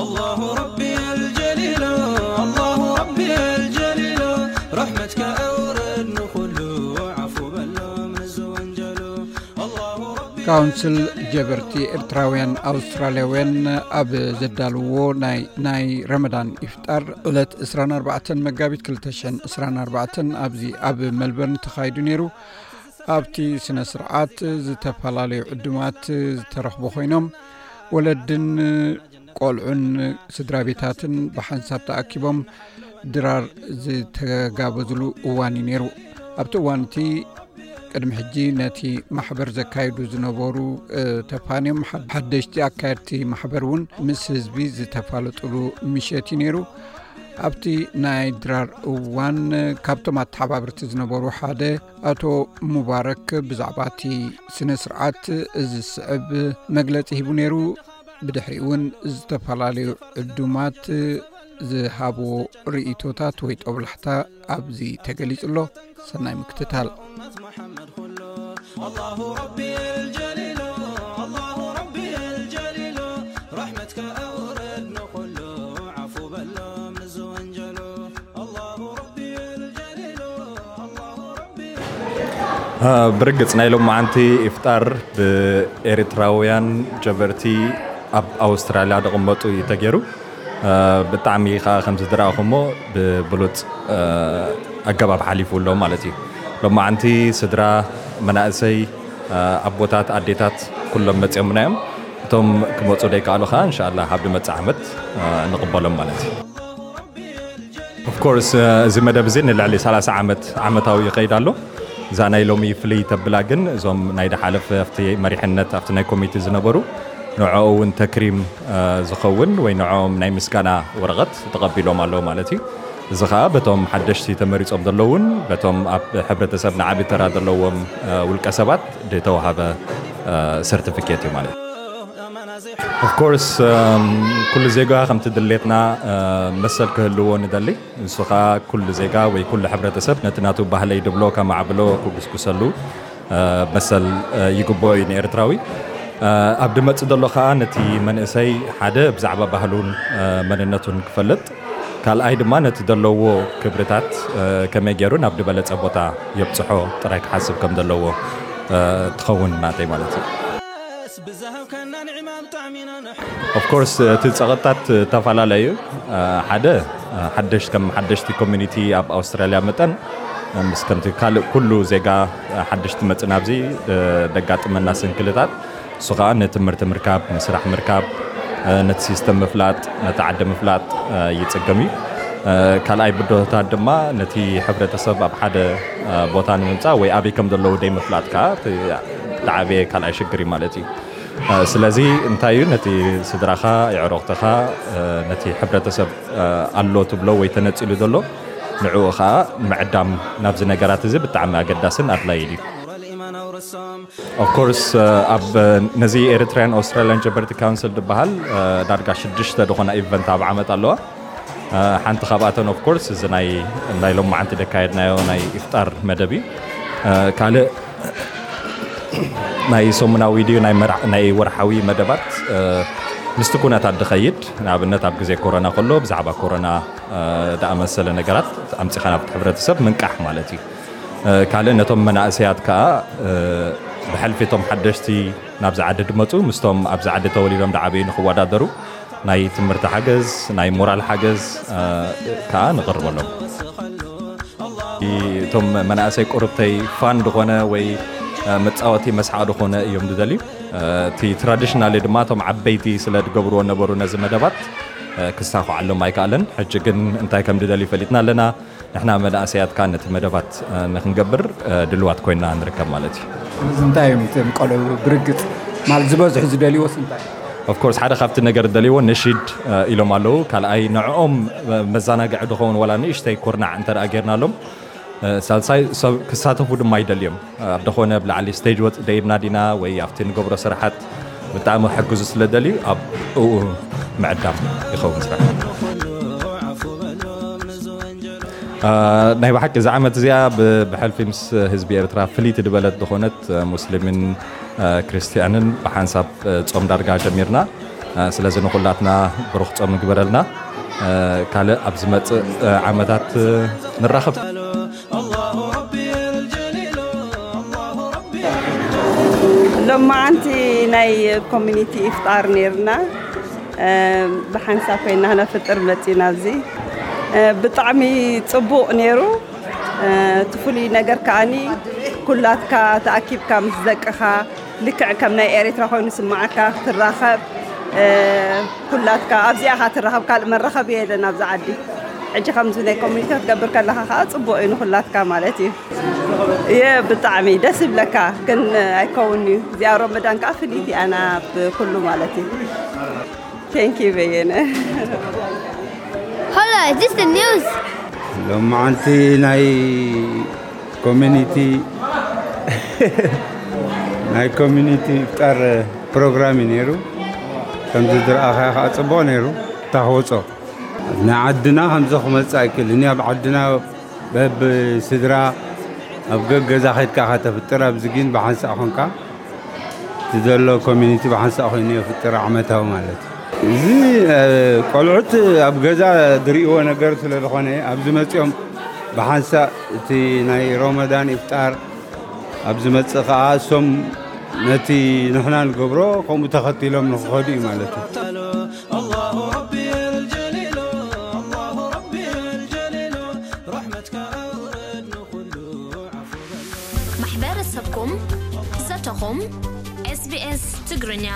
الله ربي الجليل، الله ربي الجليل، رحمتك أورد نخلو، عفو بلوم نزو ونجلو. الله ربي ካውንስል ጀበርቲ ኤርትራውያን ኣውስትራልያውያን ኣብ ዘዳልዎ ናይ ናይ ረመዳን ኢፍጣር ዕለት ዕስራን ኣርባዕተን መጋቢት ክልተ ሽሕን ዕስራን ኣርባዕተን ኣብዚ ኣብ መልበርን ተኻይዱ ነይሩ። ኣብቲ ስነ ስርዓት ዝተፈላለዩ ዕዱማት ዝተረኽቡ ኮይኖም፣ ወለድን ቆልዑን ስድራ ቤታትን ብሓንሳብ ተኣኪቦም ድራር ዝተጋበዝሉ እዋን እዩ ነይሩ። ኣብቲ እዋን እቲ ቅድሚ ሕጂ ነቲ ማሕበር ዘካይዱ ዝነበሩ ተፋንዮም ሓደሽቲ ኣካየድቲ ማሕበር እውን ምስ ህዝቢ ዝተፋለጥሉ ምሸት እዩ ነይሩ። ኣብቲ ናይ ድራር እዋን ካብቶም ኣተሓባብርቲ ዝነበሩ ሓደ ኣቶ ሙባረክ ብዛዕባ እቲ ስነ ስርዓት እዚ ዝስዕብ መግለጺ ሂቡ ነይሩ። ብድሕሪኡ እውን ዝተፈላለዩ ዕዱማት ዝሃብዎ ርእይቶታት ወይ ጦብላሕታ ኣብዚ ተገሊጹ ኣሎ። ሰናይ ምክትታል። الله ربي الجليل، الله ربي الجليل، رحمتك أورد نخلو، عفو بلوم نزو ونجلو. الله ربي الجليل، الله ربي ብርግጽ ናይ ሎማዓንቲ ኢፍጣር ብኤርትራውያን ጀበርቲ ኣብ ኣውስትራልያ ዝቕመጡ እዩ ተገይሩ። ብጣዕሚ ከዓ ከምዚ ዝረኣኹሞ ብብሉፅ ኣገባብ ሓሊፉ ኣሎ ማለት እዩ። ሎማዓንቲ ስድራ፣ መናእሰይ፣ ኣቦታት፣ ኣዴታት ኩሎም መፅኦምና እዮም። እቶም ክመፁ ዘይከኣሉ ከዓ እንሻላ ኣብ ዝመፅእ ዓመት ንቕበሎም ማለት እዩ። ኦፍኮርስ እዚ መደብ እዚ ንልዕሊ ሰላሳ ዓመት ዓመታዊ ይኸይድ ኣሎ። እዛ ናይ ሎሚ ፍልይ ተብላ ግን እዞም ናይ ድሓለፈ ኣብቲ መሪሕነት ኣብቲ ናይ ኮሚቴ ዝነበሩ ንዕኡ እውን ተክሪም ዝኸውን ወይ ንዕኦም ናይ ምስጋና ወረቐት ተቐቢሎም ኣለዉ ማለት እዩ። እዚ ከዓ በቶም ሓደሽቲ ተመሪጾም ዘለውን በቶም ኣብ ሕብረተሰብ ንዓቢ ተራ ዘለዎም ውልቀ ሰባት ዝተዋሃበ ሰርቲፊኬት እዩ ማለት እዩ። ኦፍኮርስ ኩሉ ዜጋ ከምቲ ድሌትና መሰል ክህልዎ ንደሊ። ንሱ ከዓ ኩሉ ዜጋ ወይ ኩሉ ሕብረተሰብ ነቲ ናቱ ባህለይ ድብሎ ከማዕብሎ ክጉስጉሰሉ መሰል ይግብኦ እዩ ንኤርትራዊ። ኣብ ድመጽእ ዘሎ ከዓ ነቲ መንእሰይ ሓደ ብዛዕባ ባህሉን መንነቱን ክፈልጥ፣ ካልኣይ ድማ ነቲ ዘለዎ ክብርታት ከመይ ገይሩ ናብ ዝበለጸ ቦታ የብጽሖ ጥራይ ክሓስብ ከም ዘለዎ ትኸውን ናተይ ማለት እዩ። ኦፍኮርስ እቲ ጸቕጥታት ተፈላለዩ። ሓደ ሓደሽ ከም ሓደሽቲ ኮሚኒቲ ኣብ ኣውስትራልያ መጠን ምስ ከምቲ ካልእ ኩሉ ዜጋ ሓደሽቲ መጽእ ናብዚ ደጋጥመና ስንክልታት እሱ ከዓ ንትምህርቲ ምርካብ፣ ንስራሕ ምርካብ፣ ነቲ ሲስተም ምፍላጥ፣ ነቲ ዓዲ ምፍላጥ ይጽገም እዩ። ካልኣይ ብድሆታት ድማ ነቲ ሕብረተሰብ ኣብ ሓደ ቦታ ንምምፃእ ወይ ኣበይ ከም ዘለዉ ደይ ምፍላጥ ከዓ ዝዓበየ ካልኣይ ሽግር እዩ ማለት እዩ። ስለዚ እንታይ እዩ ነቲ ስድራኻ፣ የዕሮኽትኻ፣ ነቲ ሕብረተሰብ ኣሎ ትብሎ ወይ ተነፂሉ ዘሎ ንዕኡ ከዓ ምዕዳም ናብዚ ነገራት እዚ ብጣዕሚ ኣገዳስን ኣድላዪ እዩ። ኦፍኮርስ ኣብ ነዚ ኤሪትራያን ኣውስትራልያን ጀበርቲ ካውንስል ዝበሃል ዳርጋ ሽዱሽተ ዝኾና ኢቨንት ኣብ ዓመት ኣለዋ። ሓንቲ ካብኣተን ኦፍኮርስ እዚ ናይ ናይ ሎማዓንቲ ደካየድናዮ ናይ ኢፍጣር መደብ እዩ። ካልእ ናይ ሰሙናዊ ድዩ ናይ ወርሓዊ መደባት ምስቲ ኩነታት ድኸይድ፣ ንኣብነት ኣብ ግዜ ኮሮና ከሎ ብዛዕባ ኮሮና ድኣመሰለ ነገራት ኣምፂኻ ናብቲ ሕብረተሰብ ምንቃሕ ማለት እዩ። ካልእ ነቶም መናእሰያት ከዓ ብሕልፊ እቶም ሓደሽቲ ናብዚ ዓዲ ድመፁ ምስቶም ኣብዚ ዓዲ ተወሊዶም ድዓበዩ ንክወዳደሩ ናይ ትምህርቲ ሓገዝ፣ ናይ ሞራል ሓገዝ ከዓ ንቕርበሎም። እቶም መናእሰይ ቁርብተይ ፋን ዝኾነ ወይ መፃወቲ መስሓቕ ዝኾነ እዮም ዝደልዩ። እቲ ትራዲሽናሊ ድማ እቶም ዓበይቲ ስለ ዝገብርዎ ነበሩ ነዚ መደባት ክሳኹዓሎም ኣይከኣለን። ሕጂ ግን እንታይ ከም ዝደልዩ ፈሊጥና ኣለና። ንሕና መናእሰያት ከዓ ነቲ መደባት ንክንገብር ድልዋት ኮይና ንርከብ ማለት እዩ። እዚ እንታይ እዮም እቶም ቆልዑ ብርግፅ ማለት ዝበዝሑ ዝደልይዎስ እንታይ? ኦፍኮርስ ሓደ ካብቲ ነገር ዝደልይዎ ነሺድ ኢሎም ኣለዉ። ካልኣይ ንዕኦም መዘናግዒ ድኸውን ዋላ ንእሽተይ ኩርናዕ እንተ ደኣ ጌርናሎም ሳልሳይ ሰብ ክሳተፉ ድማ ይደልዮም። ኣብ ደኾነ ብላዕሊ ስቴጅ ወፅ ደይብና ዲና ወይ ኣብቲ ንገብሮ ስራሓት ብጣዕሚ ሕግዙ ስለ ደልዩ ኣብኡ ምዕዳም ይኸውን ስራሕ። ናይ ብሓቂ እዛ ዓመት እዚኣ ብሕልፊ ምስ ህዝቢ ኤርትራ ፍልይቲ ዝበለት ዝኾነት ሙስሊምን ክርስትያንን ብሓንሳብ ጾም ዳርጋ ጀሚርና። ስለዚ ንኹላትና ብሩኽ ጾም ይግበረልና። ካልእ ኣብ ዝመጽእ ዓመታት ንራኸብ። ሎማዓንቲ ናይ ኮሚኒቲ ኢፍጣር ነይርና። ብሓንሳብ ኮይና ነፍጥር መፂና ኣብዚ። ብጣዕሚ ፅቡቕ ነይሩ። እቲ ፍሉይ ነገር ከዓኒ ኩላትካ ተኣኪብካ ምስ ደቅኻ ልክዕ ከም ናይ ኤርትራ ኮይኑ ስማዓካ ክትራኸብ። ኩላትካ ኣብዚኣ ካ ትራኸብ፣ ካልእ መራኸቢ የለን ኣብዚ ዓዲ። ሕጂ ከምዚ ናይ ኮሚኒቲ ክትገብር ከለኻ ከዓ ፅቡቕ እዩ ንኩላትካ ማለት እዩ። እየ ብጣዕሚ ደስ ይብለካ፣ ግን ኣይከውን እዩ። እዚኣ ሮመዳን ከዓ ፍልይቲ ኣና ብኩሉ ማለት እዩ። Thank you በየነ። Hola, is this the news? ሎማዓንቲ ናይ ኮሚኒቲ ናይ ኮሚኒቲ ኢፍጣር ፕሮግራም እዩ ነይሩ። ከምዚ ዝረኣኻዮ ከዓ ፅቡቕ ነይሩ። ታክወፆ ናይ ዓድና ከምዚ ክመፅእ ኣይክእልን እዩ። ኣብ ዓድና በብ ስድራ ኣብ ገገዛ ከድካ ከተፍጥር፣ ኣብዚ ግን ብሓንሳእ ኮንካ እቲ ዘሎ ኮሚኒቲ ብሓንሳእ ኮይኑ የፍጥር ዓመታዊ ማለት እዩ። እዚ ቆልዑት ኣብ ገዛ ዝርእይዎ ነገር ስለ ዝኾነ ኣብዚ መፂኦም ብሓንሳእ እቲ ናይ ሮመዳን ኢፍጣር ኣብ ዝመፅእ ከዓ እሶም ነቲ ንሕና ንገብሮ ከምኡ ተኸቲሎም ንክኸዱ እዩ ማለት እዩ። ማሕበረሰብኩም ዘተኹም SBS ትግርኛ